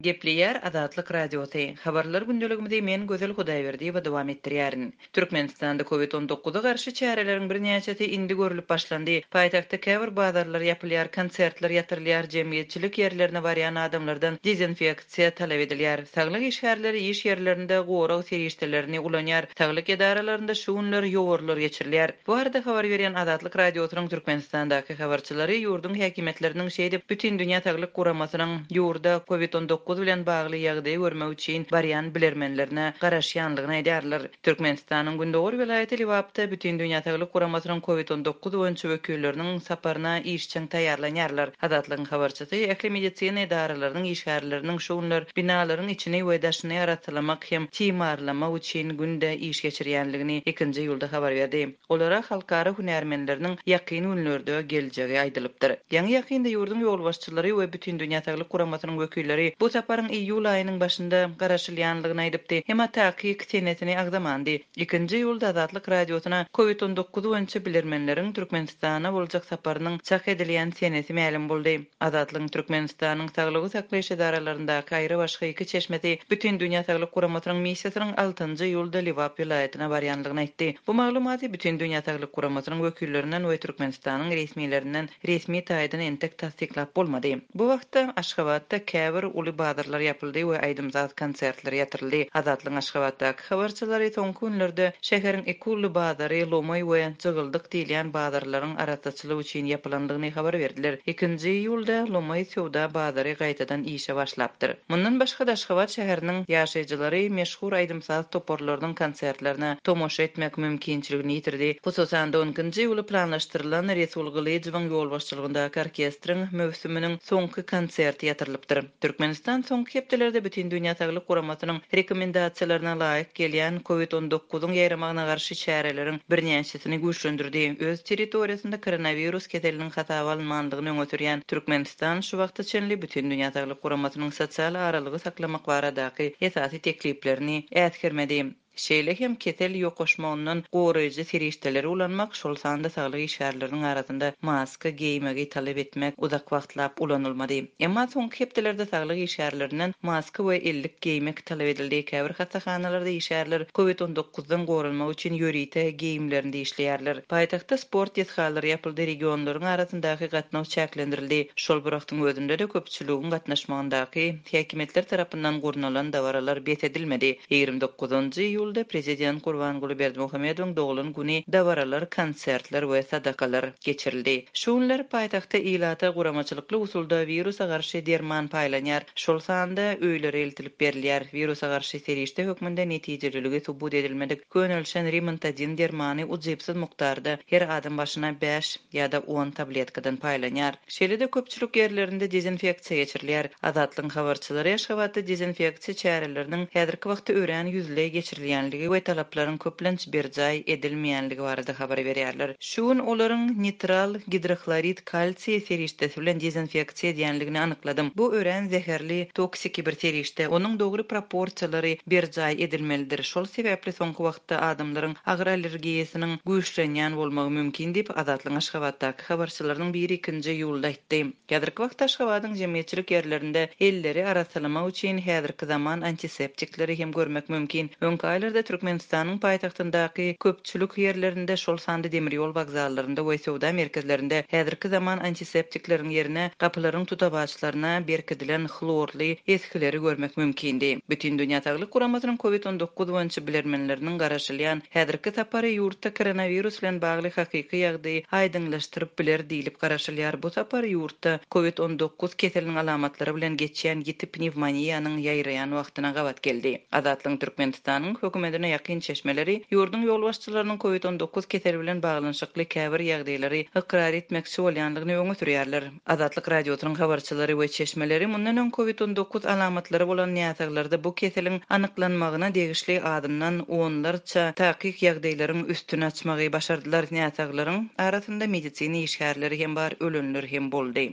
Gepleýär Azatlyk Radiosy. Habarlar gündeligimizi men Gözel Hudaýberdiýewa dowam etdirýärin. Türkmenistanda Covid 19 a garşy çäreleriň birnäçesi indi görlüp başlandy. Paýtagtda käbir bazarlar ýapylýar, konsertler ýatyrylýar, jemgyýetçilik ýerlerine barýan adamlardan dezinfeksiýa talap edilýär. Saglyk işgärleri iş ýerlerinde gorag serişdelerini ulanýar. Saglyk edaralarynda şu günler ýowarlar geçirilýär. Bu barada habar berýän Azatlyk Radiosynyň Türkmenistandaky habarçylary ýurduň häkimiýetleriniň şeýdip Bütindünýä Saglyk Guramasynyň ýurda Covid 19 bilen bagly ýagdaýy görmek üçin barýan bilermenlerine garaşýanlygyny aýdýarlar. Türkmenistanyň gündogar welaýaty Lebapda Bütindünýä Saglyk Guramasynyň Covid 19 boýunça wekilleriniň saparyna işjeň taýýarlanýarlar. Azatlygyň habarçysy ähli medisina edaralarynyň işgärleriniň şu günler binalaryň içini we daşyny arassalamak hem timarlamak üçin günde iş geçirýänligini ikinji iýulda habar berdi. Olara halkara hünärmenleriniň ýakyn günlerde geljegi aýdylypdyr. Ýaňy-ýakynda ýurduň ýolbaşçylary we Bütindünýä Saglyk Guramasynyň wekilleri bu saparyň iýul aýynyň başynda garaşylýanlygyny aýdypdy, emma takyk senesini agzamandy. Ikinji iýulda Azatlyk Radiosyna Covid 19 boýunça bilermenleriň Türkmenistana boljak saparynyň çak edilýän senesi mälim boldy. Azatlygyň Türkmenistanyň saglygy saklaýyş edaralaryndaky aýrybaşga iki çeşmesi Bütindünýä Saglyk Guramasynyň missiýasynyň altynjy iýulda Lebap welaýatyna barýandygyny aýtdy. Bu maglumaty Bütindünýä Saglyk Guramasynyň wekillerinden we Türkmenistanyň resmilerinden resmi taýdan entek tassyklap bolmady. Bu wagtda Aşgabatda käbir uly bazarlar ýapyldy we aýdym-saz konsertleri ýatyryldy. Azatlygyň Aşgabatdaky habarçylary soňky günlerde şäheriň iki uly bazary Lomaý we Jygyldyk diýilýän bazarlaryň arassaçylyk üçin ýapylandygyny habar berdiler. Ikinji iýulda Lomaý söwda bazary gaýtadan işe başlapdyr. Mundan başga-da Aşgabat şäheriniň ýaşaýjylary meşhur aýdym-saz toparlarynyň konsertlerine tomaşa etmek mümkinçiligini ýitirdi. Hususan-da, on ikinji iýula planlaşdyrylan Resul Gylyjowyň ýolbaşçylygyndaky orkestriň möwsüminiň soňky konserti ýatyrylypdyr. Türkmenistan soňky hepdelerde Bütindünýä Saglyk Guramasynyň rekomendasiýalaryna laýyk gelýän Covid 19-yň ýaýramagyna garşy çäreleriň birnäçesini güýçlendirdi. Öz territoriýasynda koronawirus keseliniň hasaba alynmandygyny öňe sürýän Türkmenistan şu wagta çenli Bütindünýä Saglyk Guramasynyň sosial aralygy saklamak baradaky esasy tekliplerini äsgermedi. Şeýle hem kesel ýokaşmagyndan goraýjy serişdeleri ulanmak, şol sanda saglyk işgärleriniň arasynda maska geýmegi talap etmek uzak wagtlap ulanylmady. Emma soňky hepdelerde saglyk işgärlerinden maska we ellik geýmek talap edildi, käbir hassahanalarda işgärler Covid 19 dan goranmak üçin ýörite geýimlerinde işleýärler. Paýtagtda sport desgalary ýapyldy, regionlaryň arasyndaky gatnaw çäklendirildi. Şol bir wagtyň özünde-de köpçüligiň gatnaşmagyndaky häkimiýetler tarapyndan gurnalan dabaralar bes edilmedi. 29-njy iýulda prezident Gurbanguly Berdimuhamedowyň doglan güni dabaralar, konsertler we sadakalar geçirildi. Şu günler paýtagtda ilata guramaçylykly usulda wirusa garşy derman paýlanýar, şol sanda öýlere eltilip berilýär. Wirusa garşy serişde hökmünde netijeliligi subut edilmedik könelişen Rimantadin dermany ujypsyz mukdarda her adam başyna bäş ýa-da on tabletkadan paýlanýar. Şeýle-de köpçülik ýerlerinde dezinfeksiýa geçirilýär. Azatlygyň habarçylary Aşgabatda dezinfeksiýa çäreleriniň häzirki wagtda örän ýüzleý geçirilýänligi we talaplaryň köplenç berjaý edilmeýänligi barada habar berýärler. Şu gün olaryň nitral gidrohlorid kalsiý serişdesi bilen dezinfeksiýa edýänligini anykladym. Bu örän zäherli, toksiki bir serişde. Onuň dogry proporsiýalary berjaý edilmelidir. Şol sebäpli soňky wagtda adamlaryň agyr allergiýasynyň güýçlenýän bolmagy mümkin diýip, Azatlygyň Aşgabatdaky habarçylarynyň biri ikinji iýulda aýtdy. Häzirki wagtda Aşgabadyň jemgyýetçilik ýerlerinde elleri arassalamak üçin häzirki zaman antiseptikleri hem görmek mümkin. Öňki aýlarda Türkmenistanyň paýtagtyndaky köpçülik ýerlerinde, şol sanda demir ýol wokzallarynda we söwda merkezlerinde häzirki zaman antiseptikleriň ýerine gapylaryň tutawaçlaryna berkidilen hlorly esgileri görmek mümkindi. Bütindünýä Saglyk Guramasynyň Covid 19 boýunça bilermenleriniň garaşylýan Häzirki sapary ýurtda koronawirus bilen bagly hakyky ýagdaýy aýdyňlaşdyryp biler diýlip garaşylýar. Bu sapar ýurtda Covid 19 keseliniň alamatlary bilen geçýän ýiti pnewmoniýanyň ýaýraýan wagtyna gabat geldi. Azatlygyň Türkmenistanyň hökümetine ýakyn çeşmeleri ýurduň ýolbaşçylarynyň Covid 19 keseli bilen baglanyşykly käbir ýagdaýlary ykrar etmekçi bolýandygyny öňe sürýärler. Azatlyk Radiosynyň habarçylary we çeşmeleri mundan öň Covid 19 alamatlary bolan näsaglarda bu keseliň anyklanmagyna degişli azyndan onlarça takyk ýagdaýlaryň üstüni açmagy başardylar. Näsaglaryň arasynda medisina işgärleri hem bar, ölenler hem boldy.